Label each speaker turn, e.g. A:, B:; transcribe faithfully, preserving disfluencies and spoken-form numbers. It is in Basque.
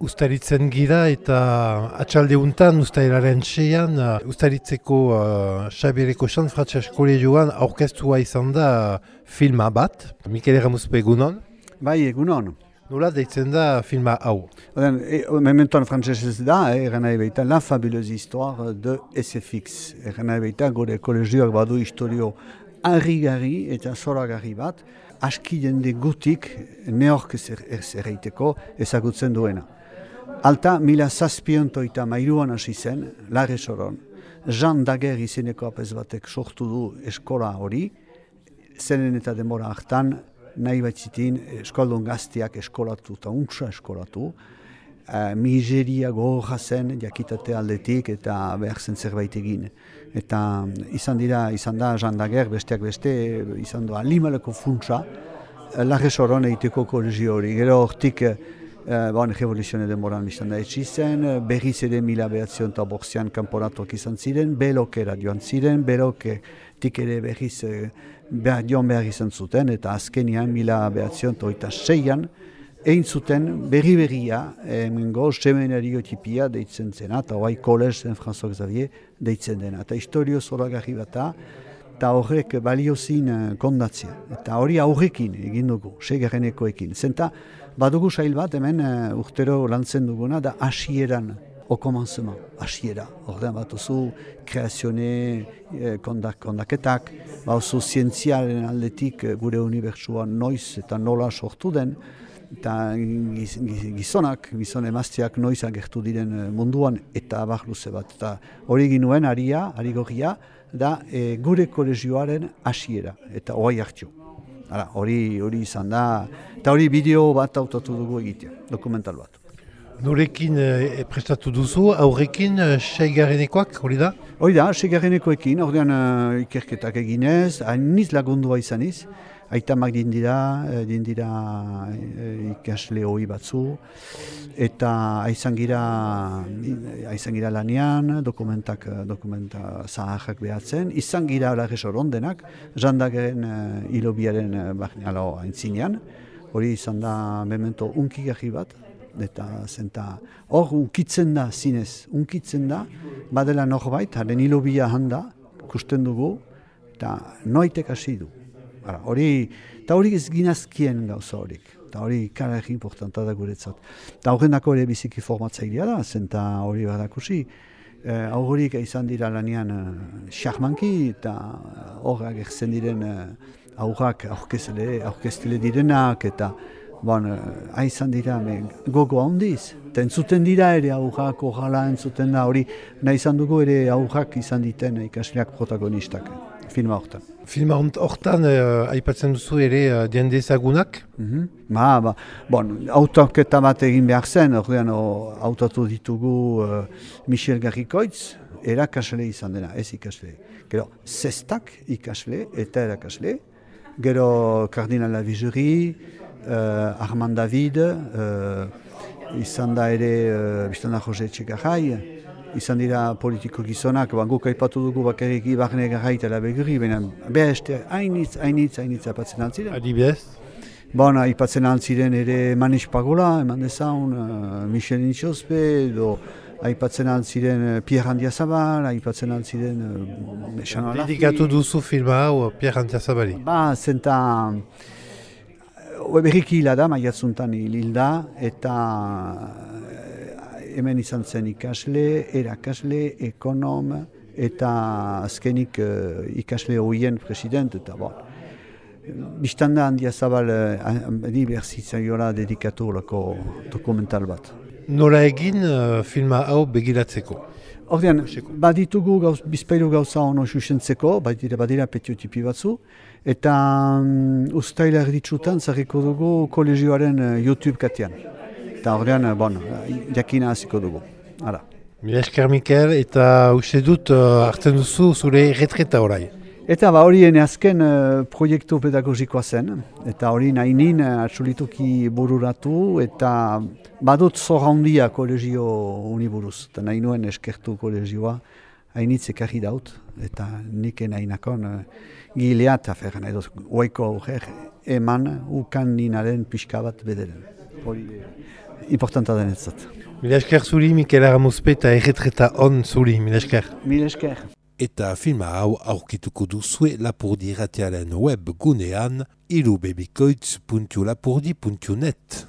A: Uztaritzen gira eta atxalde untan, ustailaren seian, uh, Uztaritzeko uh, Xabiereko Sant Frantses Kolegioan aurkeztua izan da uh, filma bat. Mikel Erramuzpe egunon.
B: Bai, egunon.
A: Nola deitzen da filma hau?
B: Oden, e, mementoan frantsesez da, eh, eran nahi baita, La fabuleuse histoire de S F X. Eran nahi baita, gure kolegioak badu historio harrigarri eta zoragarri bat, aski jende gutik neork zerreiteko ezagutzen duena. Alta, mila zazpiontoita mairuan hasi zen, Larre Soron, Jean Daguerre izeneko apez batek sortu du eskola hori, zenen eta demora hartan, nahi batzitin eskaldun gaztiak eskolatu eta untsa eskolatu, uh, miseria gogorra zen jakitate aldetik eta behar zen zerbait egin. Eta izan dira, izan da Jean Daguerre besteak beste, izan doa limaleko funtsa, uh, Larre Soron egiteko kolegio hori. Gero hortik, Uh, bon, revoluzione demoran biztan da etxi zen, berriz ere mila behatzion eta bortzian kanporatuak izan ziren, belokera joan ziren, beloketik ere berriz uh, behar, joan behar izan zuten, eta azkenian mila behatzion eta oita seian, egin zuten berri berria, emengo semenario tipia deitzen zena, eta hoai kolez zen François Xavier deitzen dena. Eta historio zoragarri bat da, eta horrek baliozin kondatzea. Eta hori aurrekin egin dugu, segarrenekoekin. Zenta, badugu sail bat hemen uh, urtero lantzen duguna da hasieran, au commencement, hasiera. Ordean bat oso kreazione eh, kondak, kondaketak, bat oso zientzialen aldetik gure unibertsuan noiz eta nola sortu den, eta giz, giz, gizonak, gizon emazteak noiz agertu diren munduan eta abar luze bat. Eta hori ginuen aria, ari gorria, da e, gure kolegioaren hasiera eta oai hartio. Hala, hori hori izan da, eta hori bideo bat hautatu dugu egitea, dokumental bat.
A: Norekin e, prestatu duzu, aurrekin e, seigarrenekoak, hori da?
B: Hori da, seigarrenekoekin, ordean uh, ikerketak eginez, hainiz lagundua izaniz, aitamak dindira, dindira e, ikasle hoi batzu, eta aizan gira, aizan gira lanian, dokumentak, dokumenta zaharrak behatzen, izan gira Larre Soron denak, Jean Daguerren uh, ilobiaren uh, aintzinean, hori izan da memento unkigarri bat, eta zenta hor unkitzen da zinez, unkitzen da, badela norbait, haren ilobia handa, ikusten dugu, eta noitek hasi du. Hori, eta hori ez ginazkien gauza horik, eta hori karari importanta da guretzat. Eta horrenako ere biziki formatzailea da, zenta hori badakusi, eh, aurrik izan dira lanean xarmanki, uh, eta horrak egzen diren uh, aurrak aurkeztele direnak, eta bon, uh, izan dira me, gogo handiz. Eta entzuten dira ere aurrak, horrela entzuten da, hori nahi izan dugu ere aurrak izan diten ikasleak protagonistak. Filma hortan.
A: Filma hortan uh, aipatzen duzu ere uh, jende ezagunak?
B: Mm-hmm. Ba, ba, bon, autoketa bat egin behar zen, ordean autotu ditugu uh, Michel Garrikoitz, erakasle izan dena, ez ikasle. Gero, zestak ikasle eta erakasle. Gero, Kardinal Lavigeri, uh, Armand David, uh, izan da ere, uh, biztan da Jose Etxegarrai, izan dira politiko gizonak, guk aipatu dugu bakarrik Ibarne Garraita eta Beguri, baina beheste hainitz, hainitz, hainitz aipatzen altziren.
A: Adibidez?
B: Bon, aipatzen altziren ere Manis Pagola, eman dezaun, uh, Michel Nitxospe, edo aipatzen altziren uh, Pierre Andiazabal, aipatzen altziren... Uh,
A: Dedikatu duzu filma hau Pierre Andiazabali?
B: Ba, zenta... Uh, berriki hila da, maiatzuntan hilda, eta... Hemen izan zen ikasle, erakasle, ekonom, eta azkenik uh, ikasle hoien president, eta bon. Bistanda Andiazabal uh, dibertsitzaioa dedikatu lako dokumental bat.
A: Nola egin uh, filma hau begiratzeko?
B: Ordean, baditugu gauz, bizpailu gauza ono xuxentzeko, badira, badira petiotipi batzu, eta um, ustaila erditsutan zarriko dugu kolegioaren uh, YouTube katean. Eta horrean, bon, jakina hasiko dugu. Hala.
A: Mila esker Mikel, eta uste dut uh, hartzen duzu zure retreta orai.
B: Eta ba hori ene azken uh, proiektu pedagogikoa zen, eta hori nahi nin uh, atxulituki bururatu, eta badut zorra handia kolegio uniburuz. Eta nahi nuen eskertu kolegioa, hainitz ekarri daut, eta nik nahi nakon uh, gilea eta ferren edo oiko aurrer eman ukan ninaren pixka bat bederen. Hori importanta denetzat.
A: Mila esker zuri, Mikel Aramuzpe eta erretreta on zuri, mila esker.
B: Mila esker.
A: Eta filma hau aurkituko duzue Lapurdi irratiaren web gunean irubebikoitz puntu lapurdi puntu net.